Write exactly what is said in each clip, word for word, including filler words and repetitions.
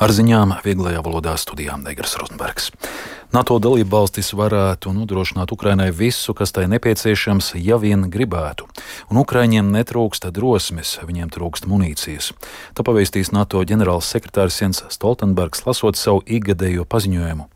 Ar ziņām vieglajā valodā studijā Negras Rozenbergs. NATO dalībvalstis varētu nodrošināt Ukrainai visu, kas tai nepieciešams, ja vien gribētu. Un Ukraiņiem netrūkst drosmes, viņiem trūkst munīcijas. Tā pavēstīs NATO ģenerāls sekretārs Jens Stoltenbergs, lasot savu ikgadējo paziņojumu.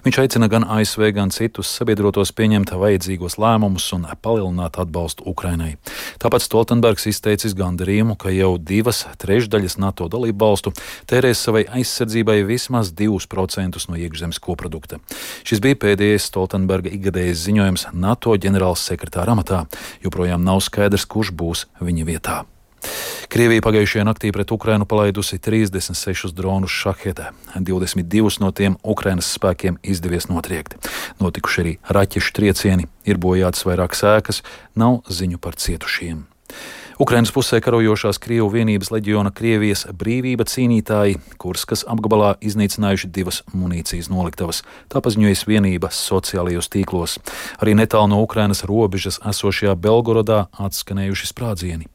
Viņš aicina gan A S V, gan citus sabiedrotos pieņemt vajadzīgos lēmumus un palielināt atbalstu Ukrainai. Tāpat Stoltenbergs izteicis gandarījumu, ka jau divas trešdaļas NATO dalībvalstu tērēs savai aizsardzībai vismaz divus procentus no iekšzemes koprodukta. Šis bija pēdējais Stoltenberga ikgadējais ziņojums NATO ģenerāls sekretāra amatā. Joprojām nav skaidrs, kurš būs viņa vietā. Krievija pagājušajā naktī pret Ukrainu palaidusi trīsdesmit sešus dronus šahedē. divdesmit divus no tiem Ukrainas spēkiem izdevies notriekt. Notikuši arī raķešu triecieni, ir bojātas vairākas ēkas, nav ziņu par cietušiem. Ukrainas pusē karojošās Krievu vienības leģiona Krievijas brīvība cīnītāji Kurskas apgabalā iznīcinājuši divas munīcijas noliktavas. Tā paziņojas vienība sociālajos tīklos. Arī netālu no Ukrainas robežas esošajā Belgorodā atskanējuši sprādzieni.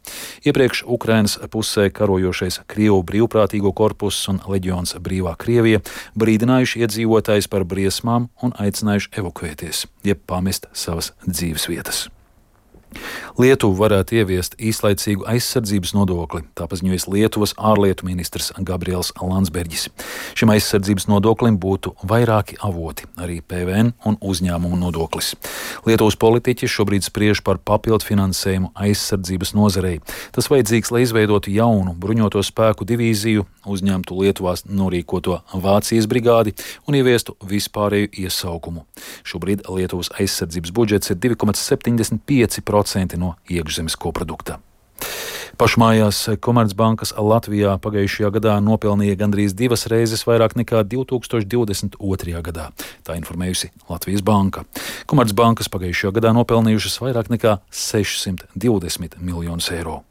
Iepriekš Ukrainas pusē karojošais Krievu brīvprātīgo korpuss un leģions Brīvā Krievija brīdinājuši iedzīvotājus par briesmām un aicinājuši evakuēties, jeb pamest savas dzīves vietas. Lietuva varētu ieviest īslaicīgu aizsardzības nodokli, tā paziņojas Lietuvas ārlietu ministrs Gabriels Landsbergis. Šim aizsardzības nodoklim būtu vairāki avoti, arī P V N un uzņēmumu nodoklis. Lietuvas politiķi šobrīd spriež par papildu finansējumu aizsardzības nozarei. Tas vajadzīgs, lai izveidotu jaunu bruņoto spēku divīziju, uzņemtu Lietuvās norīkoto Vācijas brigādi un ieviestu vispārēju iesaukumu. Šobrīd Lietuvas aizsardzības budžets ir divi komats septiņdesmit pieci procenti no iekšzemes koprodukta. Pašmājās Komercbankas Latvijā pagājušajā gadā nopelnīja gandrīz divas reizes vairāk nekā divi tūkstoši divdesmit otrajā gadā. Tā informējusi Latvijas banka. Komercbankas pagājušajā gadā nopelnījušas vairāk nekā sešsimt divdesmit miljonus eiro.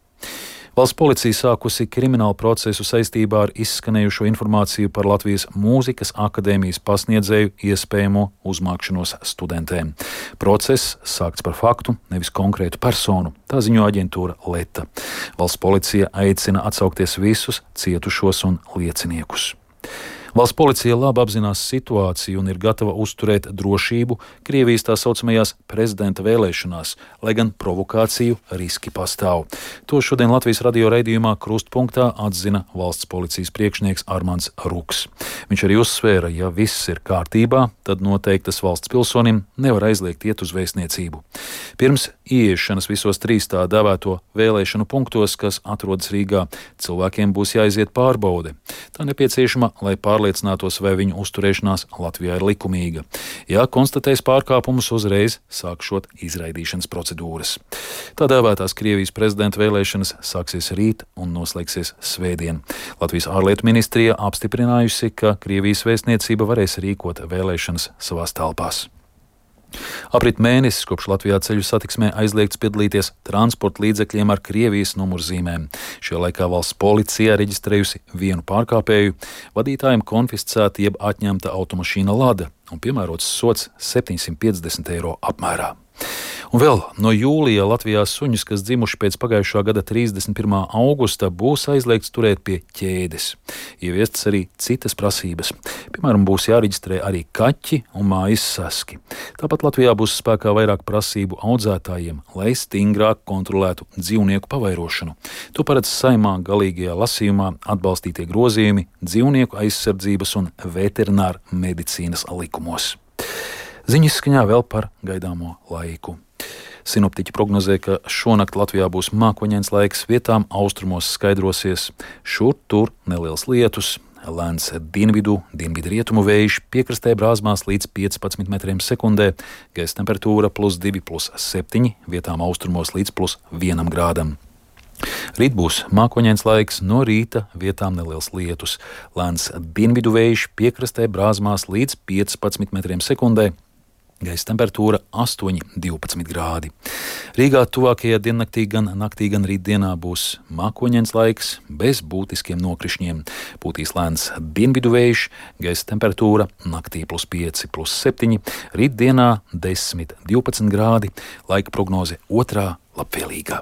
Valsts policija sākusi kriminālu procesu saistībā ar izskanējušo informāciju par Latvijas Mūzikas akadēmijas pasniedzēju iespējamo uzmākšanos studentēm. Process sākts par faktu, nevis konkrētu personu, tā ziņo aģentūra Leta. Valsts policija aicina atsaukties visus cietušos un lieciniekus. Valsts policija labi apzinās situāciju un ir gatava uzturēt drošību Krievijas tā saucamajās prezidenta vēlēšanās, lai gan provokāciju riski pastāv. To šodien Latvijas radio raidījumā Krustpunktā atzina valsts policijas priekšnieks Armands Ruks. Viņš arī uzsvēra, ja viss ir kārtībā, tad noteiktas valsts pilsonim nevar aizliegt iet uz vēstniecību. Pirms ieiešanas visos trīs tā dēvēto vēlēšanu punktos, kas atrodas Rīgā, cilvēkiem būs jāiziet pārbaude. Tā nepieciešama, lai pārliecinātos, vai viņu uzturēšanās Latvijā ir likumīga. Ja konstatēs pārkāpumus, uzreiz sākšot izraidīšanas procedūras. Tā dēvētās Krievijas prezidenta vēlēšanas sāksies rīt un noslēgsies svētdien. Latvijas ārlietu ministrija apstiprinājusi, ka Krievijas vēstniecība varēs rīkot vēlēšanas savās telpās. Aprit mēnesis, kopš Latvijā ceļu satiksmē aizliegts piedalīties transporta līdzekļiem ar Krievijas numurzīmēm. Šajā laikā valsts policija reģistrējusi vienu pārkāpēju, vadītājiem konfiscēta jeb atņemta automašīna Lada un piemērots sods septiņsimt piecdesmit eiro apmērā. Un vēl no jūlija Latvijā suņus, kas dzimuši pēc pagājušā gada trīsdesmit pirmā augusta, būs aizliegts turēt pie ķēdes. Ieviestas arī citas prasības. Piemēram, būs jāreģistrē arī kaķi un mājas saski. Tāpat Latvijā būs spēkā vairāk prasību audzētājiem, lai stingrāk kontrolētu dzīvnieku pavairošanu. To paredz Saeimā galīgajā lasījumā atbalstītie grozījumi dzīvnieku aizsardzības un veterināra medicīnas likumos. Ziņas skaņā vēl par gaidāmo laiku. Sinoptiķi prognozē, ka šonakt Latvijā būs mākoņains laiks, vietām austrumos skaidrosies, šur tur neliels lietus, lēns dienvidu, dienvidu rietumu vējš, piekrastē brāzmās līdz piecpadsmit metriem sekundē, gaisa temperatūra plus divi, plus septiņi, vietām austrumos līdz plus vienam grādam. Rīt būs mākoņains laiks, no rīta vietām neliels lietus, lēns dienvidu vējš, piekrastē brāzmās līdz piecpadsmit metriem sekundē, gaisa temperatūra astoņi, divpadsmit grādi. Rīgā tuvākajā diennaktī gan naktī, gan rītdienā būs mākoņains laiks bez būtiskiem nokrišņiem. Pūtīs lēns dienvidu vējš, gaisa temperatūra naktī plus pieci, plus septiņi, rītdienā desmit, divpadsmit grādi, laika prognoze otrā labvēlīgā.